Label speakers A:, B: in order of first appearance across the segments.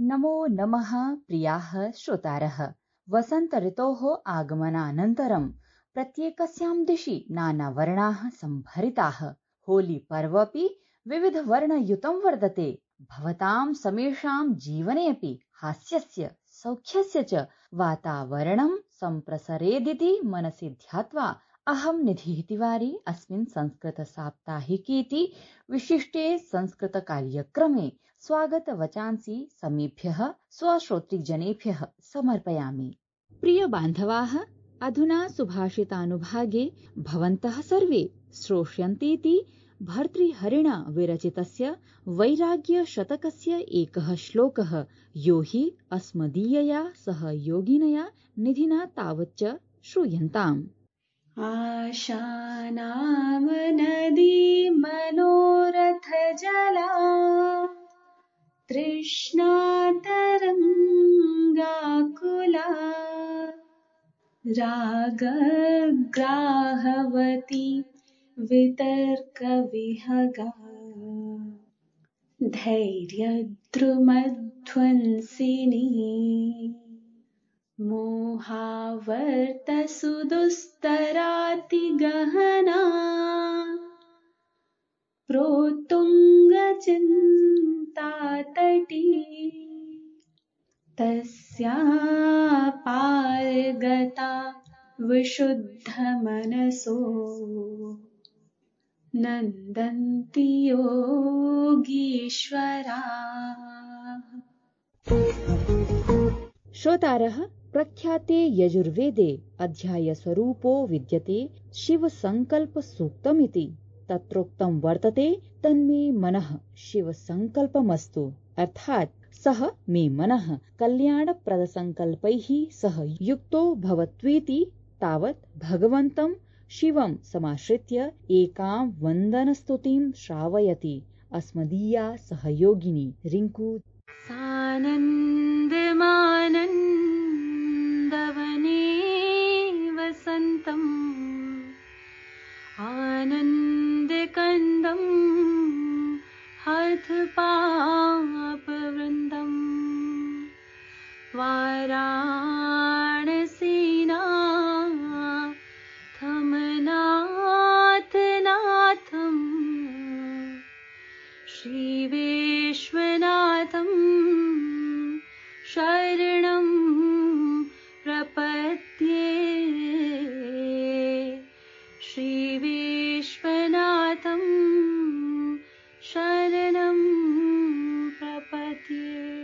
A: नमो नमः प्रियाः श्रोतारः। वसन्त ऋतोः आगमनानन्तरं प्रत्येकस्यां दिशि नानावर्णाः सम्भरिताः। होली पर्वपि विविधवर्णयुतं वर्तते। भवतां समेषां जीवने अपि हास्यस्य सौख्यस्य च वातावरणं सम्प्रसरेदिति मनसि ध्यात्वा अहं निधिः तिवारी अस्मिन् संस्कृतसाप्ताहिकीति विशिष्टे संस्कृतकार्यक्रमे स्वागतवचांसि समेभ्यः स्वश्रोतृजनेभ्यः समर्पयामि। प्रिय बान्धवाः, अधुना सुभाषितानुभागे भवन्तः सर्वे श्रोष्यन्तीति भर्तृहरिणा विरचितस्य वैराग्यशतकस्य एकः श्लोकः यो हि अस्मदीयया सह योगिनया निधिना तावच्च श्रूयन्ताम्।
B: आशानां नदी मनोरथ जला तृष्णा तरङ्गाकुला रागग्राहवती वितर्कविहगा धैर्यद्रुमध्वंसिनी मोहावर्तसुदुस्तरातिगहना प्रोत्तुङ्गचिन्तातटी तस्या पारगता विशुद्धमनसो नन्दन्ति योगीश्वरा।
A: श्रोतारः, प्रख्याते यजुर्वेदे अध्यायस्वरूपो विद्यते शिवसङ्कल्पसूक्तमिति। तत्रोक्तं वर्तते तन्मे मनः शिवसङ्कल्पमस्तु, अर्थात् सः मे मनः कल्याणप्रदसङ्कल्पैः सह युक्तो भवत्वेति। तावत् भगवन्तं शिवं समाश्रित्य एकां वन्दनस्तुतिं श्रावयति अस्मदीया सहयोगिनी रिङ्कू।
B: सानन्दमानन्दवने वसन्तम् आनन्दकन्दं हठपापवृन्दं वाराणसीनाथमनाथनाथं श्रीविश्वनाथं शरणं प्रपद्ये। श्रीविश्वनाथं शरणं प्रपद्ये।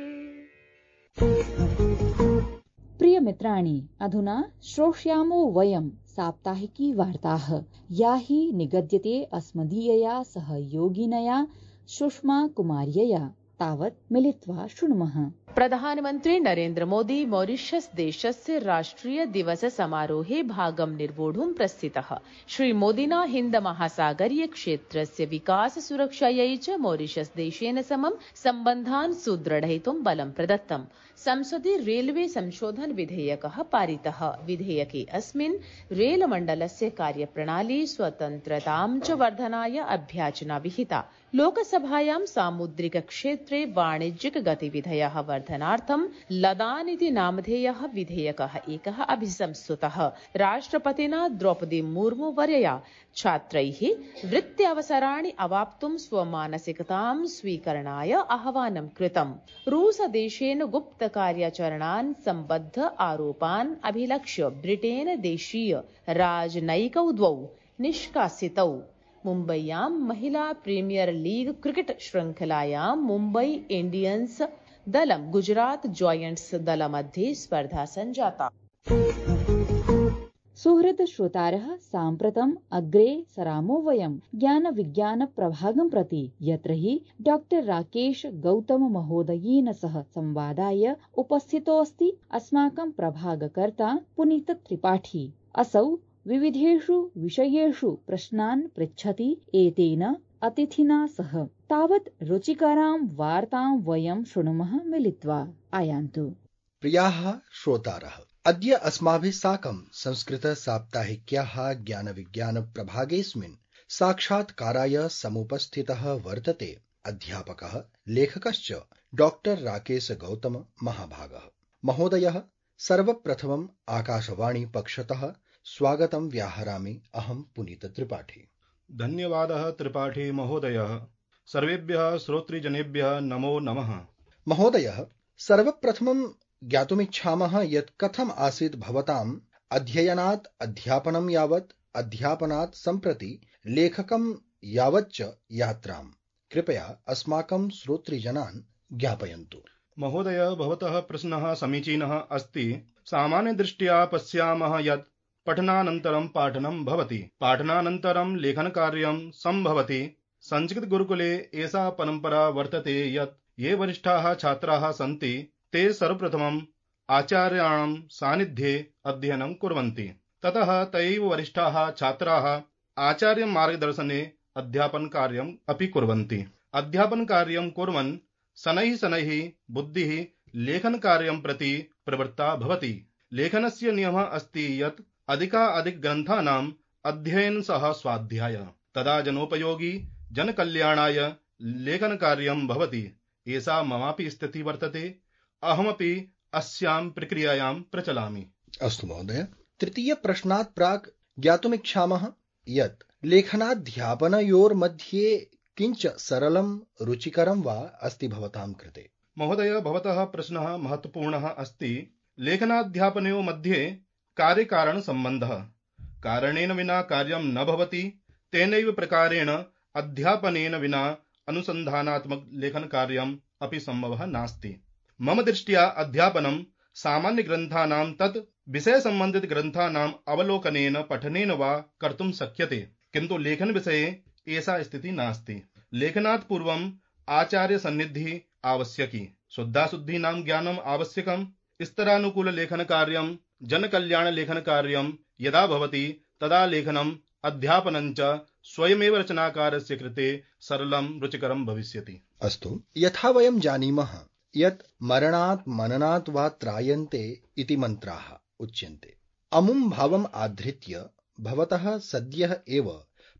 A: प्रिय मित्राणि, अधुना श्रोष्यामो वयं साप्ताहिकी वार्ताः, या हि निगद्यते अस्मदीयया सह योगिनया सुषमा कुमार्यया। तावत् मिलित्वा शृणुमः।
C: प्रधानमन्त्री नरेन्द्र मोदी मॉरिशस देशस्य राष्ट्रिय दिवस समारोहे भागं निर्वोढुं प्रस्थितः। श्रीमोदिना हिन्द महासागरीय क्षेत्रस्य विकास सुरक्षायै च मॉरिशस देशेन समं सम्बन्धान् सुदृढयितुं बलं प्रदत्तम्। संसदि रेलवे संशोधन विधेयकः पारितः। विधेयके अस्मिन् रेलमण्डलस्य कार्यप्रणाली स्वतन्त्रतां च वर्धनाय अभ्याचना विहिता। लोकसभायां सामुद्रिक क्षेत्रे वाणिज्यिक गतिविधयः वर्धनार्थं लदान इति नामधेयः विधेयकः एकः अभिसंस्तुतः। राष्ट्रपतिना द्रौपदी मुर्मू वर्यया छात्रैः वृत्त्यवसराणि अवाप्तुं स्वमानसिकतां स्वीकरणाय आह्वानं कृतम्। रूसदेशेन गुप्तकार्याचरणान् सम्बद्ध आरोपान् अभिलक्ष्य ब्रिटेन देशीय राजनयिकौ द्वौ निष्कासितौ। मुम्बय्यां महिला प्रीमियर लीग क्रिकेट श्रृंखलायां मुम्बई इंडियंस दलं गुजरात जॉयंट्स दलमध्ये स्पर्धा सञ्जाता।
A: सुहृद श्रोतारः, साम्प्रतम् अग्रे सरामो वयं ज्ञान विज्ञान प्रभागं प्रति, यत्र हि डॉक्टर राकेश गौतम महोदयेन सह संवादाय उपस्थितोऽस्ति अस्माकं प्रभागकर्ता पुनीत त्रिपाठी। असौ विविधेषु विषयेषु प्रश्नान् पृच्छति एतेन अतिथिना सह। तावत् रुचिकरां वार्तां वयं शृणुमः मिलित्वा। आयान्तु।
D: प्रियाः श्रोतारः, अद्य अस्माभिः साकं संस्कृत साप्ताहिक्याः ज्ञान विज्ञान प्रभागेऽस्मिन् साक्षात्काराय समुपस्थितः वर्तते अध्यापकः लेखकश्च डॉक्टर राकेश गौतम महाभागः। महोदयः, सर्वप्रथमम् आकाशवाणी पक्षतः स्वागतं व्याहरामि अहं पुनीत त्रिपाठी।
E: धन्यवादः त्रिपाठी महोदयः। सर्वेभ्यः श्रोतृजनेभ्यः नमो नमः।
D: महोदयः, सर्वप्रथमं ज्ञातुमिच्छामः यत् कथम् आसीत् भवताम् अध्ययनात् अध्यापनं यावत्, अध्यापनात् सम्प्रति लेखकं यावच्च यात्राम् कृपया अस्माकं श्रोतृजनान् ज्ञापयन्तु।
E: महोदय, भवतः प्रश्नः समीचीनः अस्ति। सामान्यदृष्ट्या पश्यामः यत् पठनानन्तरं पाठनं भवति, पाठनानन्तरं लेखनकार्यं सम्भवति। संस्कृतगुरुकुले एषा परम्परा वर्तते यत् ये वरिष्ठाः छात्राः सन्ति ते सर्वप्रथमम् आचार्याणां सान्निध्ये अध्ययनं कुर्वन्ति। ततः तैव वरिष्ठाः छात्राः आचार्यमार्गदर्शने अध्यापनकार्यम् अपि कुर्वन्ति। अध्यापनकार्यं कुर्वन् शनैः शनैः बुद्धिः लेखनकार्यं प्रति प्रवृत्ता भवति। लेखनस्य नियमः अस्ति यत् अधिकाधिकग्रन्थानाम् अध्ययनं सह स्वाध्याय, तदा जनोपयोगी जनकल्याणाय लेखनकार्यं भवति। एषा ममापि स्थितिः वर्तते। अहमपि अस्यां प्रक्रियायां प्रचलामि।
D: अस्तु महोदय, तृतीयप्रश्नात् प्राक् ज्ञातुमिच्छामः यत् लेखनाध्यापनयोर्मध्ये किञ्च सरलं रुचिकरं वा अस्ति भवतां कृते?
E: महोदय, भवतः प्रश्नः महत्वपूर्णः अस्ति। लेखनाध्यापनयोः मध्ये कार्यकारणसम्बन्धः। कारणेन विना कार्यं न भवति। तेनैव प्रकारेण अध्यापनेन विना अनुसन्धानात्मक लेखनकार्यम् अपि सम्भवः नास्ति। मम दृष्ट्या अध्यापनं सामान्यग्रन्थानां तत् विषयसम्बन्धितग्रन्थानाम् अवलोकनेन पठनेन वा कर्तुं शक्यते, किन्तु लेखनविषये एषा स्थितिः नास्ति। लेखनात् पूर्वम् आचार्यसन्निधिः आवश्यकी, शुद्धाशुद्धीनां ज्ञानम् आवश्यकम्। स्तरानुकूललेखनकार्यं, जनकल्याणलेखनकार्यं यदा भवति तदा लेखनम् अध्यापनं च स्वयमेव रचनाकारस्य कृते सरलं रुचिकरं भविष्यति।
D: अस्तु, यथा वयं जानीमः यत् मरणात् मननात् वा त्रायन्ते इति मन्त्राः उच्यन्ते। अमुं भावम् आधृत्य भवतः सद्यः एव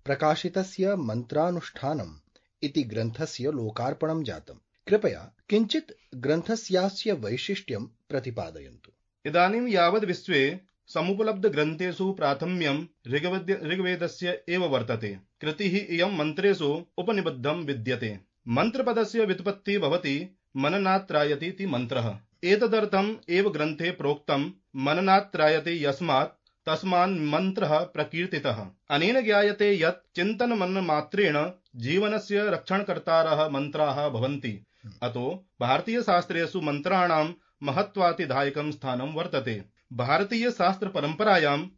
D: प्रकाशितस्य मन्त्रानुष्ठानम् इति ग्रन्थस्य लोकार्पणं जातम्। कृपया किञ्चित् ग्रन्थस्यास्य वैशिष्ट्यं प्रतिपादयन्तु।
E: इदानीं यावद् विश्वे समुपलब्धग्रन्थेषु प्राथम्यं ऋग्वेदस्य एव वर्तते। कृतिः इयं मन्त्रेषु उपनिबद्धं विद्यते। मन्त्रपदस्य व्युत्पत्तिः भवति मननात् त्रायते इति मन्त्रः। एतदर्थम् एव ग्रन्थे प्रोक्तं मननात् त्रायते यस्मात् तस्मान् मन्त्रः प्रकीर्तितः। अनेन ज्ञायते यत् चिन्तनमननमात्रेण जीवनस्य रक्षणकर्तारः मन्त्राः भवन्ति। अतो भारतीयशास्त्रेषु मन्त्राणां महत्वातिदायकं स्थानं वर्तते। भारतीयशास्त्रपरम्परायाम्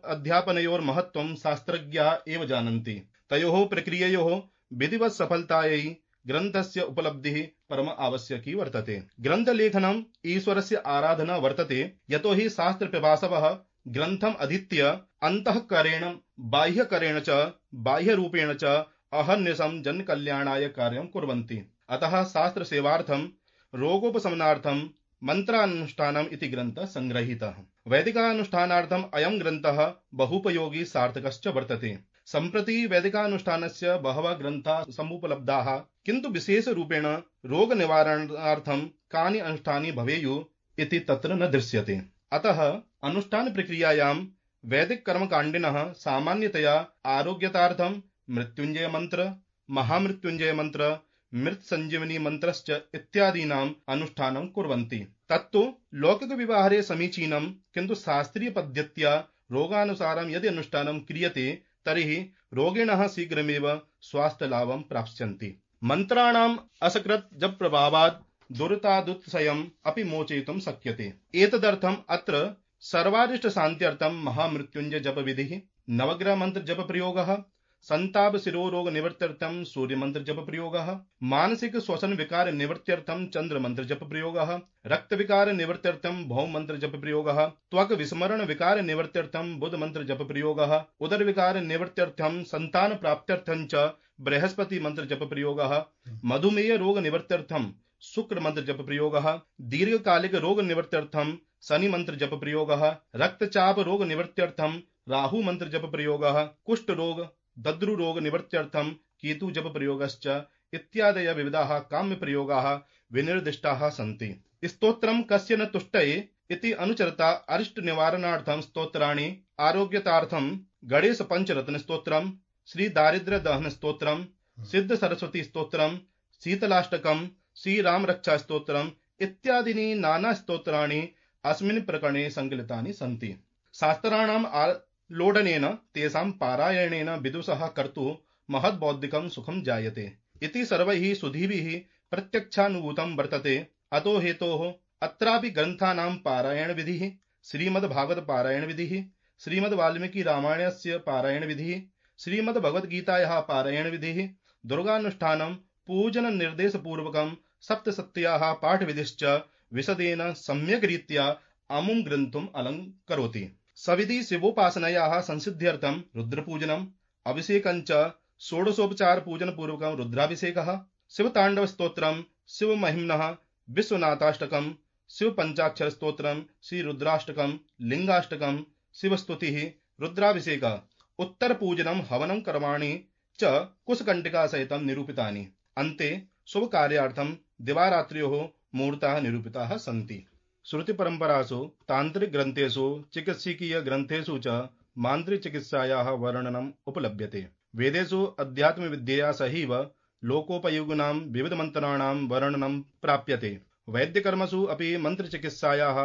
E: अध्यापनयोर्महत्त्वं शास्त्रज्ञाः एव जानन्ति। तयोः प्रक्रिययोः विधिवत् सफलतायै ग्रन्थस्य उपलब्धिः परम आवश्यकी वर्तते। ग्रन्थलेखनम् ईश्वरस्य आराधना वर्तते, यतो हि शास्त्रपिपासवः ग्रन्थम् अधीत्य अन्तःकरेण बाह्यकरेण च बाह्यरूपेण च अहर्निशं जनकल्याणाय कार्यं कुर्वन्ति। अतः शास्त्रसेवार्थं रोगोपशमनार्थं मन्त्रानुष्ठानम् इति ग्रन्थः संग्रहीतः। वैदिकानुष्ठानार्थम् अयं ग्रन्थः बहुपयोगी सार्थकश्च वर्तते। सम्प्रति वैदिकानुष्ठानस्य बहवः ग्रन्थाः समुपलब्धाः, किन्तु विशेषरूपेण रोगनिवारणार्थं कानि अनुष्ठानि भवेयुः इति तत्र न दृश्यते। अतः अनुष्ठानप्रक्रियायां वैदिककर्मकाण्डिनः सामान्यतया आरोग्यतार्थं मृत्युञ्जयमन्त्र, महामृत्युञ्जयमन्त्र, मृत्सञ्जीवनी मन्त्रश्च इत्यादीनाम् अनुष्ठानं कुर्वन्ति। तत्तु लौकिकव्यवहारे समीचीनं, किन्तु शास्त्रीयपद्धत्या रोगानुसारं यदि अनुष्ठानं क्रियते तर्हि रोगिणः शीघ्रमेव स्वास्थ्यलाभं प्राप्स्यन्ति। मन्त्राणाम् असकृत् जपप्रभावात् दुरितादुत्सयम् अपि मोचयितुं शक्यते। एतदर्थम् अत्र सर्वारिष्टशान्त्यर्थं महामृत्युञ्जय जपविधिः, नवग्रहमन्त्र जपप्रयोगः, संताप शिरोरोग निवृत्त्यर्थं सूर्यमंत्र जप प्रयोगः, मानसिक श्वसन विकार निवृत्त्यर्थं चंद्र मंत्र जप प्रयोगः, रक्त विकार निवृत्त्यर्थं भौम मंत्र जप प्रयोगः, त्वक विस्मरण विकार निवृत्त्यर्थं बुध मंत्र जप प्रयोगः, उदर विकार निवृत्त्यर्थं संतान प्राप्त्यर्थं च बृहस्पति मंत्र जप प्रयोगः, मधुमेह रोग निवृत्त्यर्थं शुक्र मंत्र जप प्रयोगः, दीर्घकालिक रोग निवृत्त्यर्थं शनि मंत्र जप प्रयोगः, रक्तचाप रोग निवृत्त्यर्थं राहु मंत्र जप प्रयोगः, कुष्ठ रोग दद्रु रोग निवृत्त्यर्थम केतु जप प्रयोगश्च इत्यादय विविधाः काम्य प्रयोगाः विनिर्दिष्टाः सन्ति। स्तोत्रम कस्य न तुष्टये इति अनुचरता अरिष्ट निवारणार्थम स्तोत्राणि आरोग्यतार्थम गणेश पंचरत्न स्तोत्रम, श्री दारिद्र्य दहन स्तोत्रम, सिद्ध सरस्वती स्तोत्रम, शीतलाष्टकम, श्री राम रक्षा स्तोत्रम इत्यादीनि नाना स्तोत्राणि अस्मिन् प्रकरणे संकलितानि सन्ति। शास्त्राणाम् आलोडनेन तेषां पारायणेन विदुषः कर्तुः महद्बौद्धिकं सुखं जायते इति सर्वैः सुधीभिः प्रत्यक्षानुभूतं वर्तते। अतो हेतोः अत्रापि ग्रन्थानां पारायण विधिः, श्रीमद्भागवत पारायण विधिः, श्रीमद्वाल्मीकि रामायणस्य पारायण विधिः, श्रीमद्भगवद्गीतायाः पारायण विधिः, दुर्गानुष्ठानं पूजन निर्देश पूर्वकं सप्तसत्याः पाठ विधिश्च विशदेन सम्यक् रीत्या अमुं ग्रन्थम् अलङ्करोति। सविधि शिवोपासनायाः संसिद्ध्यर्थं रुद्रपूजनम्, अभिषेकञ्च षोडशोपचार पूजन पूर्वकं रुद्राभिषेकः, शिवताण्डव स्तोत्रम्, शिवमहिम्नः विश्वनाथाष्टकम्, शिव पंचाक्षर स्तोत्रम्, श्री रुद्राष्टकम्, लिंगाष्टकम्, शिवस्तुतिः, रुद्राभिषेकः, उत्तर पूजनम्, हवनं कर्माणि च कुशकण्टिका सहितं निरूपितानि। अन्ते शुभ कार्यार्थं दिवारात्र्योः मुहूर्ताः निरूपिताः सन्ति। श्रुति परंपरासु, तांत्रिक ग्रंथेषु, चिकित्सकीय ग्रंथेषु च मान्त्रिक चिकित्सायाः वर्णनम् उपलभ्यते। वेदेषु अध्यात्म विद्यया सहैव लोकोपयोगिनां विविधमन्त्राणां वर्णनं प्राप्यते। वैद्यकर्मसु अपि मन्त्रचिकित्सायाः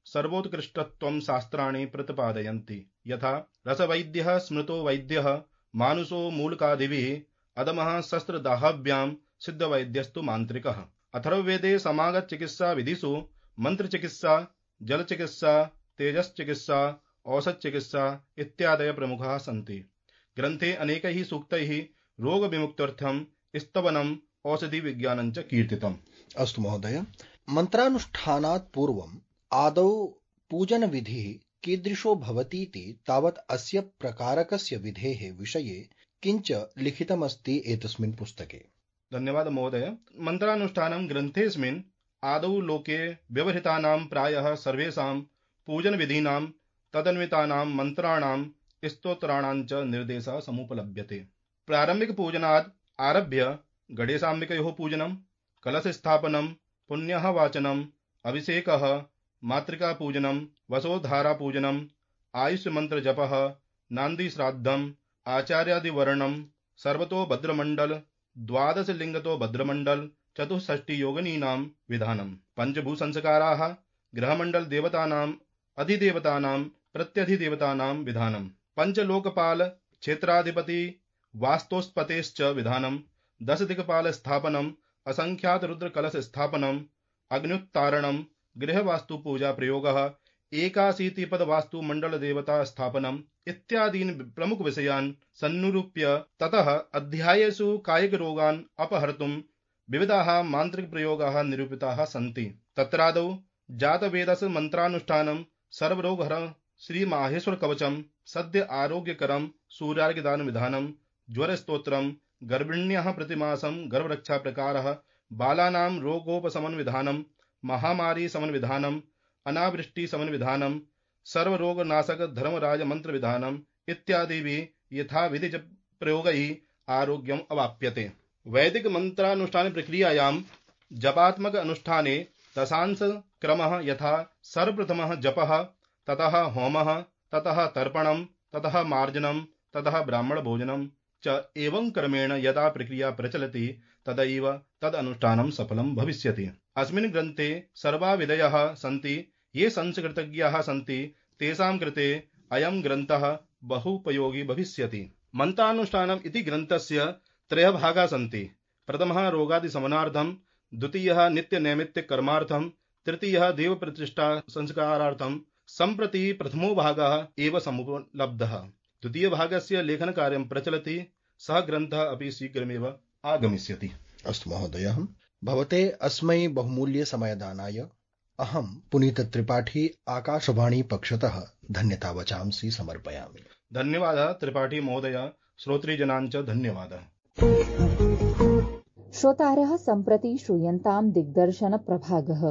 E: सर्वोत्कृष्टत्वं शास्त्राणि प्रतिपादयन्ति। यथा रसवैद्यः स्मृतो वैद्यः, मानुषो मूलकादिभिः, अदमः शस्त्रदाहाभ्यां, सिद्धवैद्यस्तु मान्त्रिकः। अथर्ववेदे समागत चिकित्सा विधिषु मंत्र चिकित्सा, जल चिकित्सा, तेजस चिकित्सा, औषध चिकित्सा इत्यादय प्रमुखाः सन्ति। ग्रन्थे अनेकैः सूक्तैः रोग विमुक्त्यर्थं स्तवनम्, औषधि विज्ञानं च कीर्तितम्।
D: अस्तु महोदय, मन्त्रानुष्ठानात् पूर्वम् आदौ पूजन विधिः कीदृशो भवतीति तावत् अस्य प्रकारकस्य विधेः विषये किञ्च लिखितमस्ति एतस्मिन् पुस्तके।
E: धन्यवाद महोदय। मन्त्रानुष्ठानं ग्रन्थेऽस्मिन् आदौ लोके व्यवहृतानां प्रायः सर्वेषां पूजन विधीनां तदन्वितानां मन्त्राणां स्तोत्राणां च निर्देशः समुपलभ्यते। प्रारम्भिक पूजनात् आरभ्य गणेशाम्बिकयोः पूजनं, कलश स्थापनं, पुण्यः वाचनम्, अभिषेकः, मातृका पूजनं, वसोधारा पूजनं, आयुष्य मंत्र जपः, नान्दी श्राद्धम्, आचार्यादिवर्णनं, सर्वतो भद्रमण्डल, द्वादश लिंगतो भद्रमण्डल, चतुष्षष्टि योगिनीनां विधानम्, पंचभूसंस्काराः, ग्रहमण्डल देवतानां, अधिदेवतानां, प्रत्यधिदेवतानां विधानम्, पंचलोकपाल क्षेत्राधिपति वास्तोस्पतेश्च विधानम्, 10 दिक्पाल स्थापनम्, असंख्यात रुद्र कलश स्थापनम्, अग्न्युत्तारणम्, गृहवास्तु पूजा प्रयोगः, 81 पद वास्तु मंडल देवता स्थापनम् इत्यादीन् प्रमुख विषयान् सन्निरूप्य ततः अध्यायेषु कायिक रोगान् अपहर्तुं विविधाः मान्त्रिक प्रयोगाः निरूपिताः सन्ति। तत्रादौ जातवेदस मन्त्रानुष्ठानं, सर्वरोगहरं श्री माहेश्वर कवचम्, सद्य आरोग्यकरं सूर्यार्घ्यदान विधानं, ज्वर स्तोत्रं, गर्भिण्याः प्रतिमासं गर्भरक्षा प्रकारः, बालानां रोगोपशमन विधानं, महामारी समन विधानं, अनावृष्टि समन विधानं, सर्वरोगनाशक धर्मराज मंत्र विधानम् इत्यादिभिः यथाविधि प्रयोगैः आरोग्यम् अवाप्यते। वैदिक मंत्रानुष्ठान प्रक्रियायां जपात्मक अनुष्ठाने दशांश क्रमः यथा सर्वप्रथमः जपः, ततः होमः, ततः तर्पणम्, ततः मार्जनम्, ततः ब्राह्मण भोजनं च एवं क्रमेण यदा प्रक्रिया प्रचलति तदैव तद अनुष्ठानं सफलं भविष्यति। अस्मिन् ग्रन्थे सर्वा विधयः सन्ति। ये संस्कृतज्ञाः सन्ति तेषां कृते अयं ग्रन्थः बहुपयोगी भविष्यति। मन्त्रानुष्ठानम् इति ग्रन्थस्य 3 भागाः सन्ति। प्रथमः रोगादिशमनार्थं, द्वितीयः नित्यनैमित्तिक कर्मार्थं, तृतीयः देवप्रतिष्ठा संस्कारार्थं। सम्प्रति प्रथमो भागः एव समुपलब्धः। द्वितीयभागस्य लेखनकार्यं प्रचलति। सः ग्रन्थः अपि शीघ्रमेव आगमिष्यति।
D: अस्तु महोदय, भवते अस्मै बहुमूल्य समयदानाय अहं पुनीत त्रिपाठी आकाशवाणी पक्षतः धन्यता वचांसि समर्पयामि।
E: धन्यवादः त्रिपाठी महोदय। श्रोतृजनान् च धन्यवादः।
A: श्रोतारः सम्प्रति श्रूयन्तां दिग्दर्शन प्रभागः।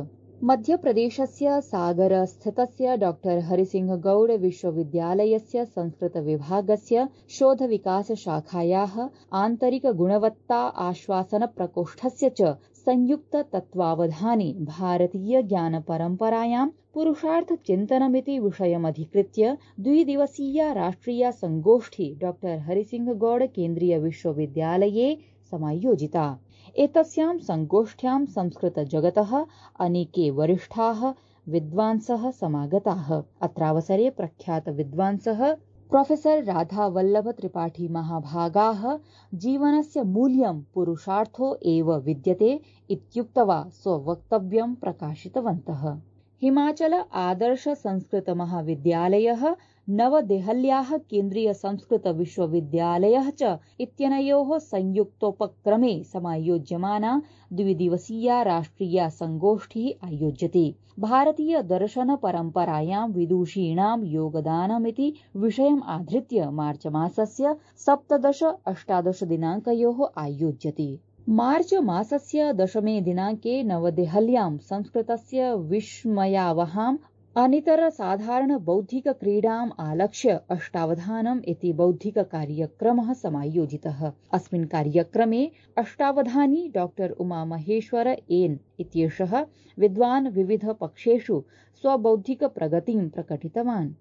A: मध्यप्रदेशस्य सागरस्थितस्य डॉक्टर हरिसिंह गौड विश्वविद्यालयस्य संस्कृतविभागस्य शोधविकासशाखायाः आन्तरिकगुणवत्ता आश्वासनप्रकोष्ठस्य च संयुक्ततत्त्वावधाने भारतीयज्ञानपरम्परायां पुरुषार्थचिन्तनमिति विषयमधिकृत्य द्विदिवसीया राष्ट्रिया संगोष्ठी डॉक्टर हरिसिंह गौड केन्द्रीय विश्वविद्यालये समायोजिता। एतस्यां संगोष्ठ्यां संस्कृतजगतः अनेके वरिष्ठाः विद्वांसः समागताः। अत्रावसरे प्रख्यातविद्वांसः प्रोफेसर राधावल्लभ त्रिपाठी महाभागाः जीवनस्य मूल्यं पुरुषार्थो एव विद्यते इत्युक्त्वा स्ववक्तव्यं प्रकाशितवन्तः। हिमाचल आदर्श संस्कृत महाविद्यालयः नवदेहल्याः केन्द्रीय संस्कृत विश्वविद्यालयः च इत्यनयोः संयुक्तोपक्रमे समायोज्यमाना द्विदिवसीया राष्ट्रिया संगोष्ठिः आयोज्यते। भारतीय दर्शन परम्परायां विदुषीणां योगदानमिति विषयम् आधृत्य मार्च मासस्य 17-18 दिनाङ्कयोः आयोज्यते। मार्च मासस्य 10 दिनाङ्के नवदेहल्यां संस्कृतस्य विस्मयावहां अनितरसाधारण बौद्धिक क्रीडाम् आलक्ष्य अष्टावधानम् इति बौद्धिक कार्यक्रमः समायोजितः। अस्मिन् कार्यक्रमे अष्टावधानी डॉक्टर उमामहेश्वर एन् इत्येषः विद्वान् विविध पक्षेषु स्वबौद्धिक प्रगतिं प्रकटितवान्।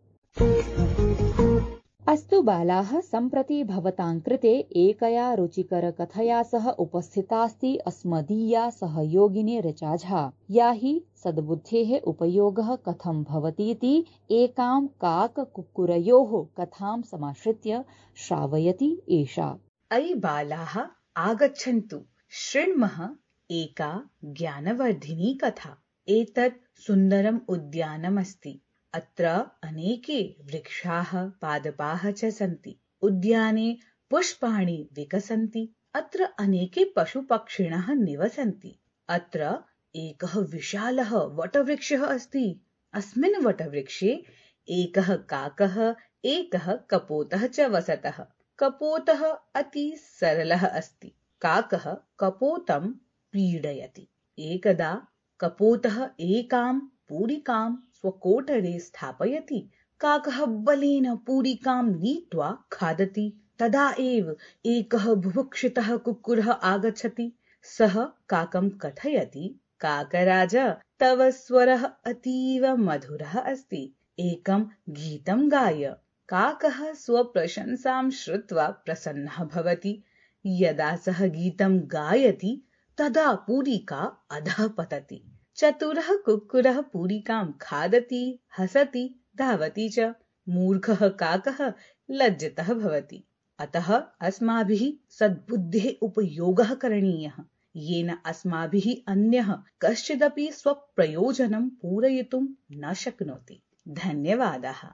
A: अस्तु बालाः, सम्प्रति भवतां कृते एकया रुचिकरकथया सह उपस्थितास्ति अस्मदीया सहयोगिनी ऋचा झा, या हि सद्बुद्धेः उपयोगः कथं भवतीति एकां काककुक्कुरयोः कथां समाश्रित्य श्रावयति एषा।
F: अयि बालाः, आगच्छन्तु, शृण्मः एका ज्ञानवर्धिनी कथा। एतत् सुन्दरम् उद्यानमस्ति। अत्र अनेके वृक्षाः पादपाः च सन्ति। उद्याने पुष्पाणि विकसन्ति। अत्र अनेके पशुपक्षिणः निवसन्ति। अत्र एकः विशालः वटवृक्षः अस्ति। अस्मिन् वटवृक्षे एकः काकः, एकः कपोतः च वसतः। कपोतः अति सरलः अस्ति। काकः कपोतं पीडयति। एकदा कपोतः एकां पूरिकां स्वकोटरे स्थापयति। काकः बलेन पूरिकां नीत्वा खादति। तदा एव एकः बुभुक्षितः कुक्कुरः आगच्छति। सः काकं कथयति, काकराज, तव स्वरः अतीव मधुरः अस्ति। एकं गीतं गाय। काकः स्वप्रशंसां श्रुत्वा प्रसन्नः भवति। यदा सः गीतं गायति तदा पूरिका अधः पतति। चतुरः कुक्कुरः पूरिकां खादति, हसति, धावति च। मूर्खः काकः लज्जितः भवति। अतः अस्माभिः सद्बुद्धेः उपयोगः करणीयः, येन अस्माभिः अन्यः कश्चिदपि स्वप्रयोजनं पूरयितुं न शक्नोति। धन्यवादाः।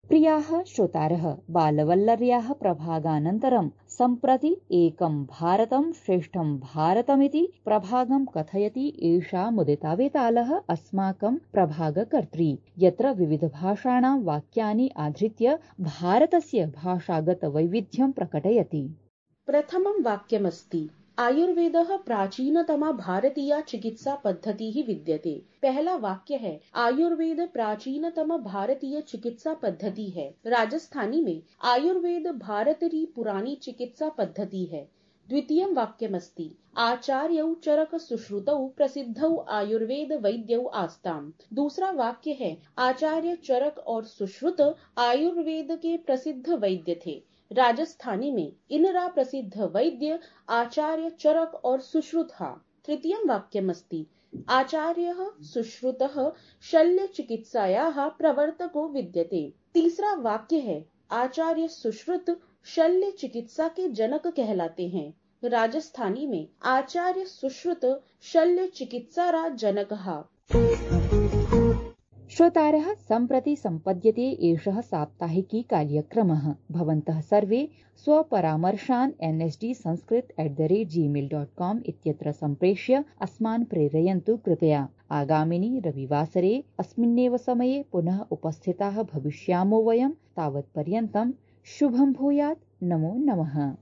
A: प्रियाः श्रोतारः, बालवल्लर्याः प्रभागानन्तरं सम्प्रति एकं भारतं श्रेष्ठं भारतमिति प्रभागं कथयति एषा मुदिता वेतालः अस्माकं प्रभागकर्त्री, यत्र विविधभाषाणां वाक्यानि आधृत्य भारतस्य भाषागतवैविध्यं प्रकटयति।
C: प्रथमं वाक्यमस्ति, आयुर्वेदः प्राचीनतमा भारतीया चिकित्सा पद्धतिः विद्यते। पहला वाक्य है, आयुर्वेद प्राचीनतम भारतीय चिकित्सा पद्धति है। राजस्थानी में आयुर्वेद भारतरी पुरानी चिकित्सा पद्धति है। द्वितीयं वाक्यमस्ति, आचार्यौ चरक सुश्रुतौ प्रसिद्धौ आयुर्वेद वैद्यौ आस्ताम्। दूसरा वाक्य है, आचार्य चरक और सुश्रुत आयुर्वेद के प्रसिद्ध वैद्य थे। राजस्थानी में इनरा प्रसिद्ध वैद्य आचार्य चरक और सुश्रुतः। तृतीयं वाक्यमस्ति, आचार्यः सुश्रुतः शल्य चिकित्सायाः प्रवर्तको विद्यते। तीसरा वाक्य है, आचार्य सुश्रुत शल्य चिकित्सा के जनक कहलाते हैं। राजस्थानी में आचार्य सुश्रुत शल्य चिकित्सारा जनकः।
A: श्रोतारः, सम्प्रति सम्पद्यते एषः साप्ताहिकी कार्यक्रमः। भवन्तः सर्वे स्वपरामर्शान् nsdsanskrit@gmail.com इत्यत्र सम्प्रेष्य अस्मान् प्रेरयन्तु कृपया। आगामिनि रविवासरे अस्मिन्नेव समये पुनः उपस्थिताः भविष्यामो वयं। तावत्पर्यन्तं शुभं भूयात्। नमो नमः।